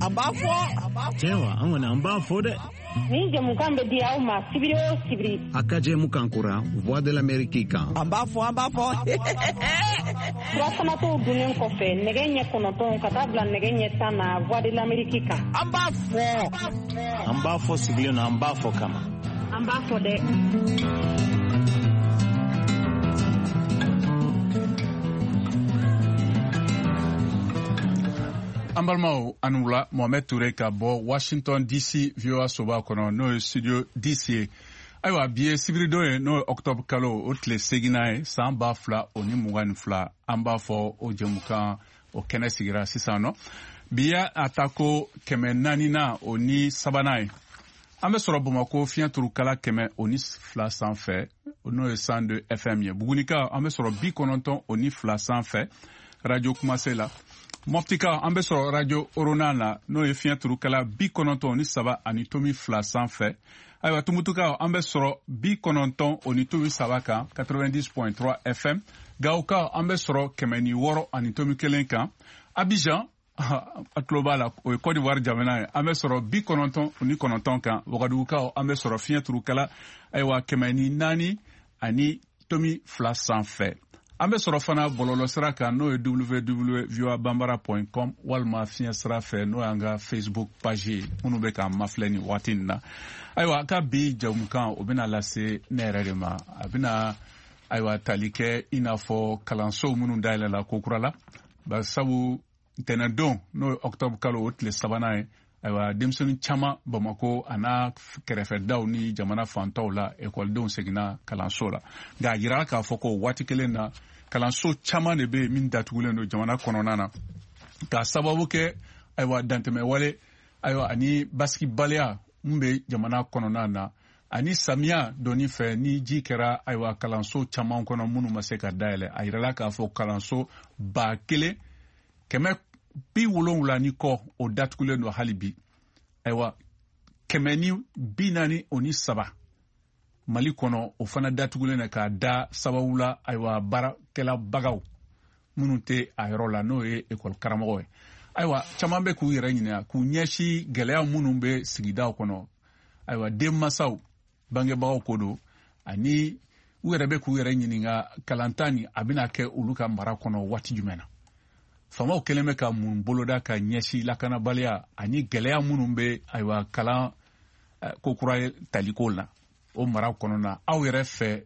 An b'a fɔ. Tiɲɛ wa, an kɔni an b'a fɔ dɛ. Nin jɛmukan bɛ di aw ma sibiri o sibiri. A ka jɛmukan kura Voix de l'Amérique kan. An b'a fɔ, an b'a fɔ. Surafanatɔw dunnen kɔfɛ nɛgɛ ɲɛ 9 ka taa bila nɛgɛ ɲɛ 10 na Voix de l'Amérique kan. An b'a fɔ. An b'a fɔ sigilen na, an b'a fɔ kama. An b'a fɔ dɛ. An balimaw, a ni wula. Mohamed Toure ka bɔ Washington DC, VOA soba kɔnɔ, n'o ye studio DC ye. Ayiwa, bi ye sibiridon ye, n'o ye octobre kalo o tile 8nan ye, san 2022. An b'a fɔ o jɛmukan o kɛnɛ sigira sisan nɔ. Bi y'a a ta ko 443nan ye. An bɛ sɔrɔ Bamakɔ fiɲɛ turukala 102 sanfɛ, n'o ye 102 FM ye. Bugunika, an bɛ sɔrɔ 92 sanfɛ, radio Kumase la. Mɔptika, an bɛ sɔrɔ radio Orona la, n'o ye fiɲɛ turukala 93.2 sanfɛ. Ayiwa, Tumutukaw, an bɛ sɔrɔ 90.3 kan, 90.3 FM. Gawokaw, an bɛ sɔrɔ 106.1 kan. Abidjan, a tulo b'a la, o ye Côte d'Ivoire jamana ye, an bɛ sɔrɔ 99 kan. Wagadugukaw, an bɛ sɔrɔ fiɲɛ turukala, ayiwa, 104.2 sanfɛ. An bɛ sɔrɔ fana bɔlɔlɔsira kan, n'o ye www.voabambara.com, walima fiɲɛ sira fɛ, n'o y'an ka Facebook page ye, minnu bɛ k'an mafilɛ nin waati in na. Ayiwa, a ka bi jamukan o bɛna lase ne yɛrɛ de ma. A bɛna, ayiwa, tali kɛ i n'a fɔ kalansow minnu dayɛlɛla ko kura la, barisabu ntɛnɛndon, n'o ye octobre kalo o tile 3nan ye, ayiwa, denmisɛnnin caman Bamako a n'a kɛrɛfɛdaw ni jamana fantaw la, ekɔlidenw seginna kalanso la. Nka a yirala k'a fɔ ko waati kelen na, kalanso caman de bɛ yen min datugulen don jamana kɔnɔna na, k'a sababu kɛ, ayiwa, dantɛmɛwale, ayiwa, ani basigibaliya min bɛ jamana kɔnɔna na, ani samiya donni fɛ ni ji kɛra, ayiwa, kalanso caman kɔnɔ minnu ma se ka dayɛlɛ. A yirala k'a fɔ kalanso 1700 ni kɔ, o datugulen don hali bi. Ayiwa, 143 Mali kɔnɔ, o fana datugulen don k'a da sababu la, ayiwa, baarakɛlabagaw minnu tɛ a yɔrɔ la, n'o ye ekɔli karamɔgɔ ye. Ayiwa, caman bɛ k'u yɛrɛ ɲininka k'u ɲɛsin gɛlɛya minnu bɛ sigidaw kɔnɔ. Ayiwa, denmansaw, bangebagaw ko don, ani u yɛrɛ bɛ k'u yɛrɛ ɲininka kalanta nin a bɛna kɛ olu ka mara kɔnɔ waati jumɛn na. Faamaw kɛlen bɛ ka mun boloda ka ɲɛsin lakanabaliya ani gɛlɛya minnu bɛ, ayiwa, kalan ko kura ye taliko la o mara kɔnɔna? Aw yɛrɛ fɛ,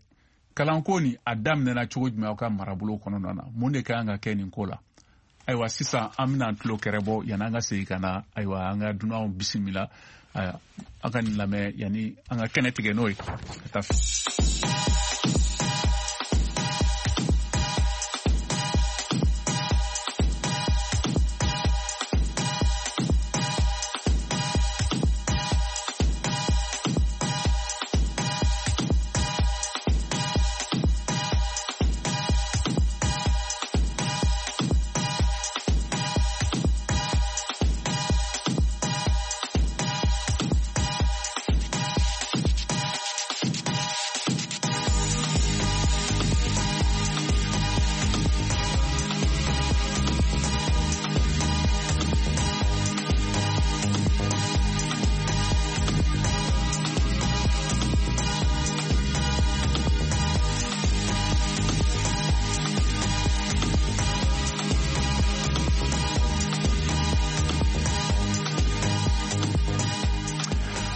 kalanko nin a daminɛna cogo jumɛn aw ka marabolo kɔnɔna na? Mun de ka kan ka kɛ nin ko la? Ayiwa, sisan an bɛna an tulo kɛrɛ bɔ yanni an ka segin ka na, ayiwa, an ka dunanw bisimila. Aw ka nin lamɛn yanni an ka kɛnɛ tigɛ n'o ye ka taa fɛ.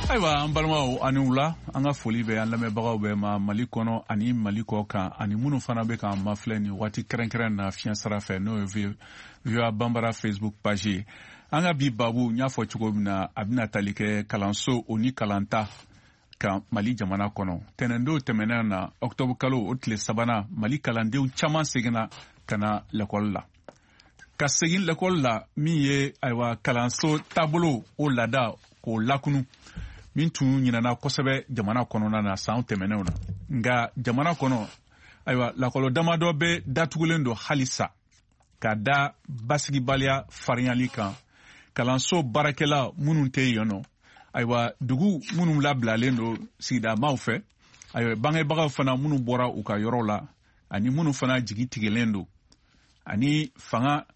Ayiwa, an balimaw, ani wula. An ka foli bɛ an lamɛnbagaw bɛɛ ma Mali kɔnɔ ani Mali kɔ kan, ani minnu fana bɛ k'an mafilɛ nin waati kɛrɛnkɛrɛn na fiɲɛ sira fɛ, n'o ye VOA Bambara Facebook page ye. An ka bi babu, n y'a fɔ cogo min na, a bɛna tali kɛ kalanso o ni kalanta kan Mali jamana kɔnɔ. Tɛnɛndon tɛmɛnen na, octobre kalo o tile 3nan, Mali kalandenw caman seginna ka na lɛkɔli la. Ka segin lɛkɔli la min ye, ayiwa, kalanso taabolo o laada k'o lakunu, min tun ɲinana kosɛbɛ jamana kɔnɔna na san tɛmɛnenw na. Nka jamana kɔnɔ, ayiwa, lakɔlɔ damadɔ bɛ datugulen don halisa ka da basigibaliya farinyali kan, kalanso baarakɛla minnu tɛ yen nɔ, ayiwa, dugu minnu labilalen don sigidamaw fɛ, ayiwa, bangebagaw fana minnu bɔra u ka yɔrɔ la, ani minnu fana jigi tigɛlen don, ani fanga